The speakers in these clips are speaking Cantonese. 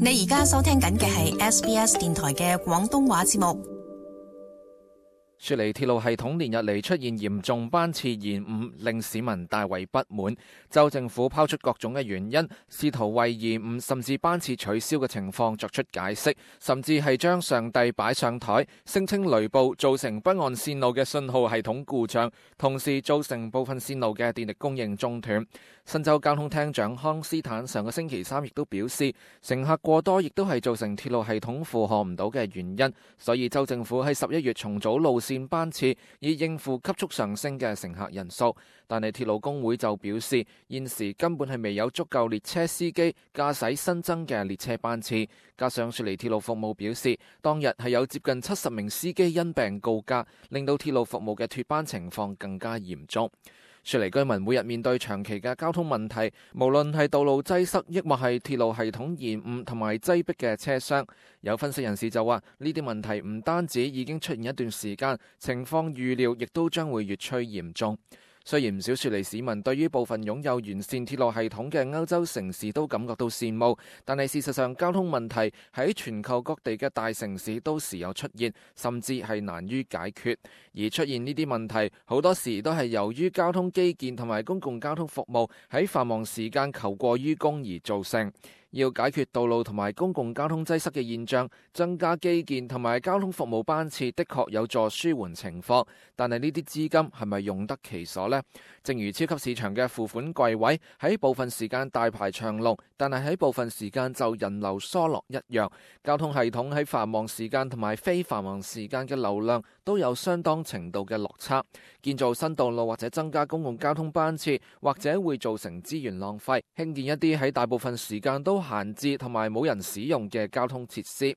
你而家收聽緊嘅係 SBS 電台嘅廣東話節目。雪梨鐵路系統連日嚟出現嚴重班次延誤，令市民大為不滿。州政府拋出各種嘅原因，試圖為延誤甚至班次取消嘅情況作出解釋，甚至係將上帝擺上台，聲稱雷暴造成北岸線路嘅信號系統故障，同時造成部分線路嘅電力供應中斷。新州交通廳長康斯坦上個星期三亦都表示，乘客過多亦都係造成鐵路系統負荷唔到嘅原因，所以州政府喺11月重組路線班次，以應付急速上升嘅乘客人數。但係鐵路工會就表示，現時根本係未有足夠列車司機駕駛新增嘅列車班次。加上雪梨鐵路服務表示，當日係有接近70名司機因病告假，令到鐵路服務嘅脫班情況更加嚴重。雪梨居民每日面對長期嘅交通問題，無論係道路擠塞，抑或係鐵路系統延誤同埋擠迫嘅車廂。有分析人士就話，呢啲問題唔單止已經出現一段時間，情況預料亦都將會越趨嚴重。雖然唔少雪梨市民對於部分擁有完善鐵路系統嘅歐洲城市都感覺到羨慕，但係事實上交通問題喺全球各地嘅大城市都時有出現，甚至係難於解決。而出現呢啲問題好多時都係由於交通基建同埋公共交通服務喺繁忙時間求過於供而造成。要解決道路同埋公共交通擠塞嘅現象，增加基建同埋交通服務班次的確有助舒緩情況，但係呢啲資金係咪用得其所呢？正如超級市場嘅付款櫃位喺部分時間大排長龍，但係喺部分時間就人流疏落一樣。交通系統喺繁忙時間同埋非繁忙時間嘅流量都有相當程度嘅落差。建造新道路或者增加公共交通班次，或者會造成資源浪費，興建一啲喺大部分時間都閒置同埋冇人使用嘅交通設施。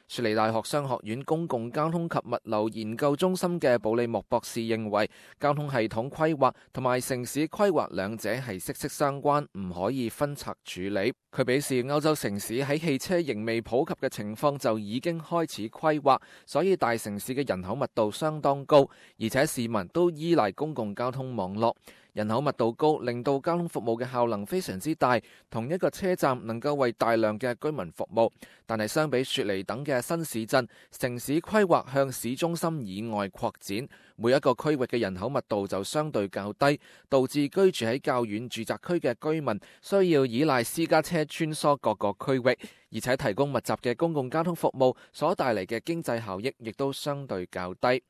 雪梨大學商學院公共交通及物流研究中心嘅布利莫博士認為，交通系統規劃同埋城市規劃兩者係息息相關，唔可以分拆處理。佢表示，歐洲城市喺汽車仍未普及嘅情況就已經開始規劃，所以大城市嘅人口密度相當高，而且市民都依賴公共交通網絡。人口密度高，令到交通服務嘅效能非常之大，同一個車站能夠為大量嘅居民服務。但係相比雪梨等嘅新市鎮，城市規劃向市中心以外擴展，每一個區域嘅人口密度就相對較低，導致居住喺較遠住宅區嘅居民需要依賴私家車穿梭各個區域，而且提供密集嘅公共交通服務所帶嚟嘅經濟效益亦都相對較低。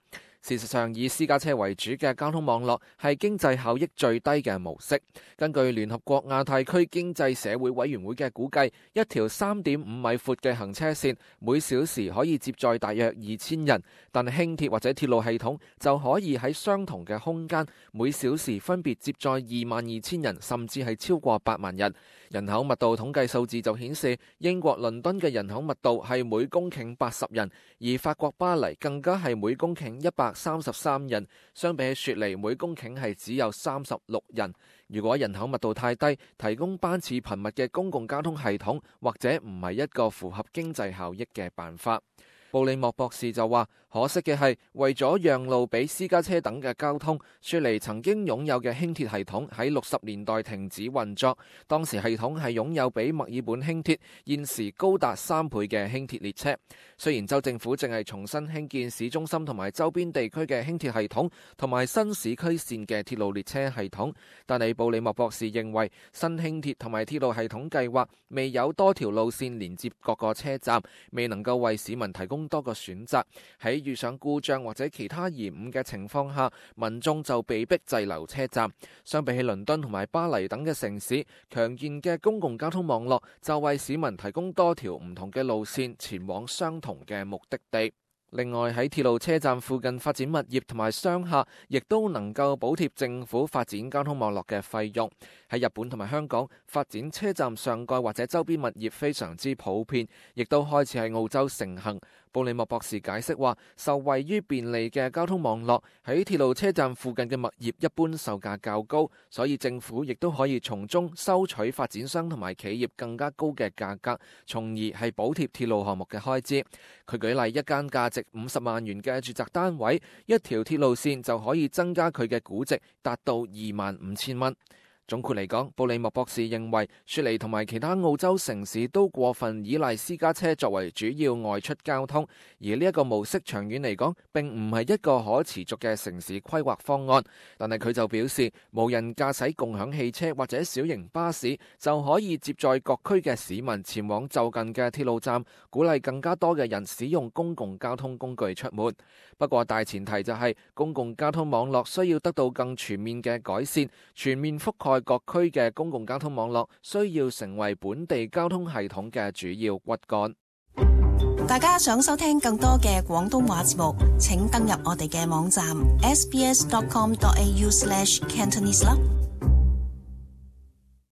事實上，以私家車為主嘅交通網絡係經濟效益最低嘅模式。根據聯合國亞太區經濟社會委員會嘅估計，一條3.5米闊嘅行車線每小時可以接載大約2000人，但輕鐵或者鐵路系統就可以喺相同嘅空間每小時分別接載22000人，甚至係超過8萬人。人口密度統計數字就顯示，英國倫敦嘅人口密度係每公頃80人，而法國巴黎更加係每公頃133人，相比起雪梨每公頃係只有36人。如果人口密度太低，提供班次頻密嘅公共交通系統，或者唔係一個符合經濟效益嘅辦法。布利莫博士就話，可惜嘅係，為咗讓路俾私家車等嘅交通，雪梨曾經擁有嘅輕鐵系統喺60年代停止運作。當時系統係擁有比墨爾本輕鐵現時高達3倍嘅輕鐵列車。雖然州政府正係重新興建市中心同埋周邊地區嘅輕鐵系統，同埋新市區線嘅鐵路列車系統，但係布利莫博士認為，新輕鐵同埋鐵路系統計劃未有多條路線連接各個車站，未能夠為市民提供多個選擇。喺遇上故障或者其他延誤嘅情況下，民眾就被迫滯留車站。相比起倫敦同埋巴黎等嘅城市，強健嘅公共交通網絡就為市民提供多條唔同嘅路線前往相同嘅目的地。另外，喺鐵路車站附近發展物業同埋商廈，亦都能夠補貼政府發展交通網絡嘅費用。喺日本同埋香港，發展車站上蓋或者周邊物業非常之普遍，亦都開始喺澳洲盛行。布利莫博士解釋話，受惠於便利嘅交通網絡，喺鐵路車站附近嘅物業一般售價較高，所以政府亦都可以從中收取發展商同埋企業更加高嘅價格，從而係補貼鐵路項目嘅開支。佢舉例，一間價值50萬元嘅住宅單位，一條鐵路線就可以增加佢嘅估值達到25000蚊。總括嚟講，布里莫博士認為雪梨同埋其他澳洲城市都過分依賴私家車作為主要外出交通，而呢一個模式長遠嚟講並唔係一個可持續嘅城市規劃方案。但係佢就表示，無人駕駛共享汽車或者小型巴士就可以接載各區嘅市民前往就近嘅鐵路站，鼓勵更加多嘅人使用公共交通工具出門。不過大前提就係公共交通網絡需要得到更全面嘅改善，全面覆蓋各區嘅公共交通網絡需要成為本地交通系統嘅主要骨幹。大家想收聽更多嘅廣東話節目，請登入我哋嘅網站 sbs.com.au/cantonese 啦。